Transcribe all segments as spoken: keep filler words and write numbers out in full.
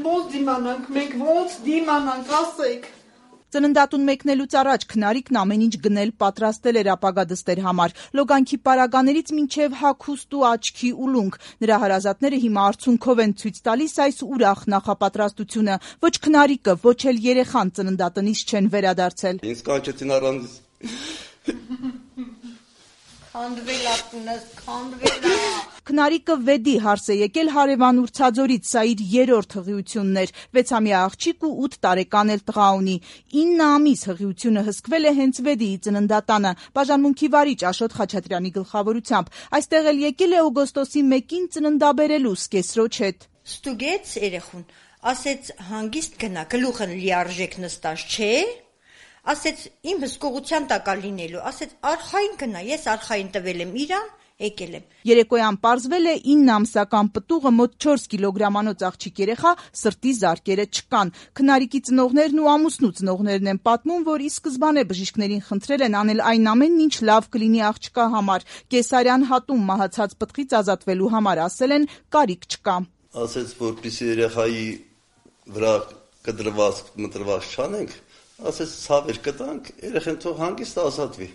ոնց դիմանանք, մենք ոնց դիմանանք, ասեք։ Ծննդատուն մեկնելուց առաջ Քնարիկն ամեն ինչ գնել պատրաստել էր ապագա դստեր համար, լոգանքի պարագաներից մինչև հագուստ ու աչքի ուլունք։ Նրա հարազատները հիմա արցունքով են ցույց տալիս այս ուրախ նախապատրաստությունը։ Ոչ Քնարիկը, ոչ էլ երեխան ծննդատնից չեն վերադարձել։ Ինձ կանչեցին առանց Քանդվել ապունս, քանդվել։ Քնարիկը վեդի հարս է եկել հարևան Ուրցաձորից, սա իր երրորդ հղիությունն էր, վեցամյա աղջիկ ու ութ տարեկան էլ տղա ունի։ ինը ամիս հղիությունը հսկվել է հենց վեդիի ծննդատանը, բաժանմունքի վարիչ Աշոտ Խաչատրյանի գլխավորությամբ։ Այստեղ էլ եկել է օգոստոսի մեկին ծննդաբերելու սկեսրոջ հետ։ Ստուգեց երեխուն, ասեց հանգիստ գնա, գլուխը լիարժեք նստած չէ։ Ասեց իմ հսկողության տակա լինելու, ասեց արխային գնա, ես արխային տվել եմ իրան, եկել եմ։ Երեկոյան պարզվել է ինը ամսական պտուղը մոտ չորս կիլոգրամանոց աղջիկ երեխա սրտի զարկերը չկան։ Քնարիկի ծնողներն ու ամուսնու ծնողներն են պատմում, որ ի սկզբանե բժիշկներին խնդրել են անել այն ամենն, ինչ լավ կլինի աղջկա համար։ Կեսարյան հատում մահացած պտղից ազատվելու համար ասել են կարիք չկա։ Ասեց, որպեսզի երեխայի վրա կդրված մտրված չանենք, ասեց ցավեր կտանք, երեխան թող հանգիստ ազատվի։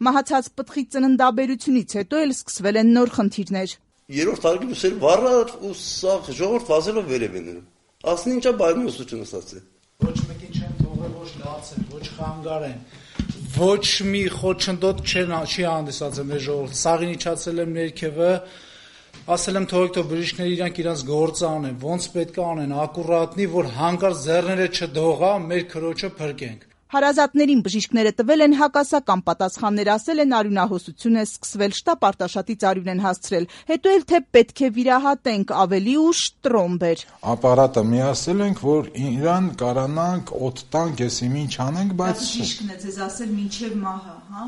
Մահացած պտղի ծննդաբերությունից հետո էլ սկսվել են նոր խնդիրներ։ Երրորդ արգելուց էլ վառար ու սաղ ժողովուրդ վազելով վերև են նում։ Ասեն ինչա բայմի ուսուցչությունը ստացել։ Ոչ մեկին չեն թողել, ոչ լացեն, ոչ խանգարեն, ոչ մի խոչընդոտ չեն չի հանդիսացել մեր ժողովուրդ։ Սաղին իջացել եմ ներքևը, ասել եմ թողեք թող բժիշկները իրանք իրանց գործը անեն, ոնց պետք է անեն, ակուրատնի, որ հանկարծ ձեռները չդողա, մեր քրոջը փրկենք։ Հարազատներին բժիշկները տվել են հակասական պատասխաններ, ասել են արյունահոսություն է սկսվել, շտապ Արտաշատից արյուն են հասցրել, հետո էլ թե պետք է վիրահատենք, ավելի ուշ տրոմբ էր։ Ապարատը միացել ենք, որ իրան կարանանք օդ տանք, եսիմ ինչ անենք, բայց բժիշկն է ձեզ ասել մինչև մահը, հա։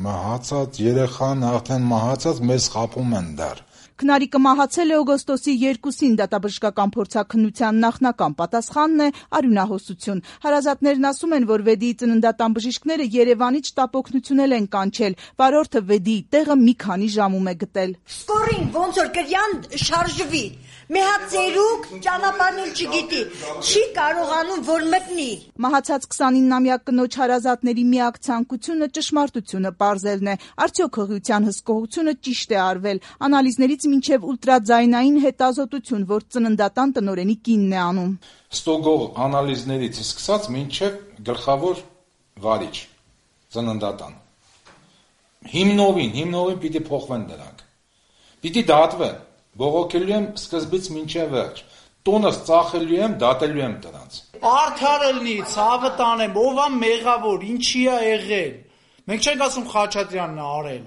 Մահացած երեխան արդեն մահացած մեզ խաբում են դեռ։ Քնարիկը մահացել է օգոստոսի երկուսին, դատաբժշկական փորձաքննության նախնական պատասխանն է արյունահոսություն։ Հարազատներն ասում են, որ վեդիի ծննդատան բժիշկները Երևանից շտապօգնություն են կանչել, վարորդը վեդիի տեղը մի քանի ժամում է գտել։ Սկորին ոնց որ կրյան շարժվի, մի հատ ծերուկ ճանապարհնել չգիտի, չի կարողանում որ մտնի։ Մահացած քսանիննամյա կնոջ հարազատների միակ ցանկությունը ճշմարտությունը պարզելն է, արդյոք հղիության հսկողությունը ճիշտ է արվել, անալիզներից մինչև ուլտրաձայնային հետազոտություն, որ ծննդատան տնօրենի կինն է անում։ Ստոգող անալիզներից սկսած մինչև գլխավոր վարիչ ծննդատան։ Հիմնովին, հիմնովին պիտի փոխվեն դրանք։ Պիտի դատվեն։ Բողոքելու եմ սկզբից մինչև վերջ։ Տոնս ծախելու եմ, դատելու եմ դրանց։ Արդար ելնի, ցավը տանեմ, ով է մեղավոր, ինչի է եղել։ Մենք չենք ասում Խաչատրյանն է արել։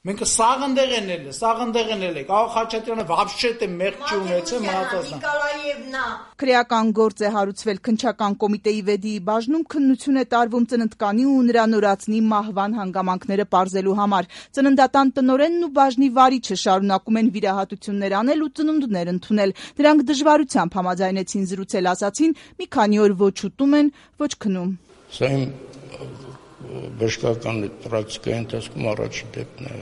Մենք սաղնդեղ են ելել, սաղնդեղ են ելել։ Աղա Խաչատրյանը вообще թե մեղք չի ունեցել, մնացածն։ Նիկոլաևնա։ Քրեական գործ է հարուցվել քննչական կոմիտեի վեդիի բաժնում, քննություն է տարվում ծննդկանի ու նրա նորածնի մահվան հանգամանքները պարզելու համար։ Ծննդատան տնօրենն ու բաժնի վարիչը շարունակում են վիրահատություններ անել ու ծնունդներ ընդունել։ Դրանք դժվարությամբ համաձայնեցին զրուցել, ասացին, մի քանի օր ոչ ուտում են, ոչ քնում։ Սա իմ բժշկական պրակտիկայի ընթացքում առաջին դեպքն է,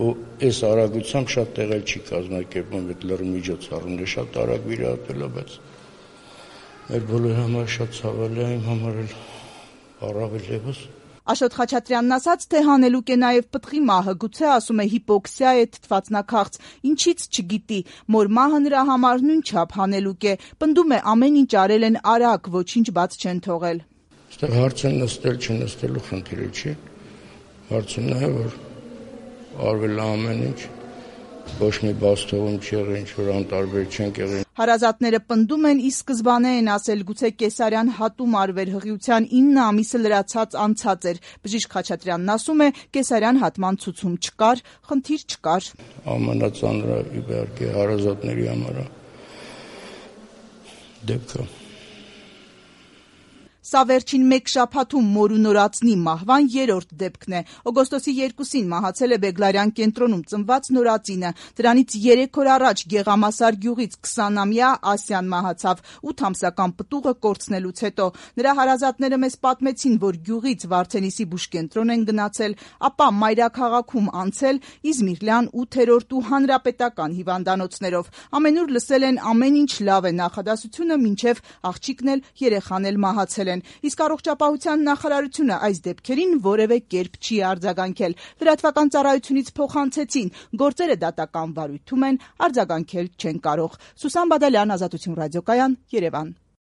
ու այս արագությամբ շատ տեղել չի կազմակերպում, այդ լրի միջոցառումները շատ արագ վիրահատվել է, բայց մեր բոլորի համար շատ ցավալի է, իմ համար էլ առավել ևս։ Աշոտ Խաչատրյանն ասաց, թե հանելուկ է նաև պտղի մահը, գուցե ասում է հիպոքսիա է, թթվածնաքաղց, ինչից չգիտի, մոր մահը նրա համար նույնչափ հանելուկ է, պնդում է ամեն ինչ արել են արագ, ոչինչ բաց չեն թողել։ Այստեղ հարցը նստել չնստելու խնդիրը չի, հարցը նա է, որ արվել ամեն ինչ, ոչ մի բաց թողում չի եղել, ինչ որ անտարբեր չենք եղել։ Հարազատները պնդում են, ի սկզբանե են ասել, գուցե կեսարյան հատում արվեր, հղիության ինը ամիսը լրացած անցած էր։ Բժիշկ Խաչատրյանն ասում է, կեսարյան հատման ցուցում չկար, խնդիր չկար։ Ամենածանրը իհարկե հարազատների համար դեպքը։ Սա վերջին մեկ շաբաթում մոր ու նորածնի մահվան երրորդ դեպքն է։ Օգոստոսի երկուսին մահացել է Բեգլարյան կենտրոնում ծնված նորածինը։ Դրանից երեք օր առաջ Գեղամասար գյուղից քսանամյա Ասյան մահացավ ութ ամսական պտուղը կորցնելուց հետո։ Նրա հարազատները մեզ պատմեցին, որ գյուղից Վարդենիսի բուժկենտրոն են գնացել, ապա մայրաքաղաքում անցել Իզմիրլյան ութերորդ ու հանրապետական հիվանդանոցներով։ Ամենուր լսել են ամեն ինչ լավ է, նախադասությունը մինչև աղջիկն էլ երեխան էլ մահացել են։ Իսկ առողջապահության նախարարությունը այս դեպքերին որևէ կերպ չի արձագանքել։ Լրատվական ծառայությունից փոխանցեցին, գործերը դատական վարույթում են, արձագանքել չեն կարող։ Սուսան Բադալյան, Ազատություն ռադիոկայան, Երևան։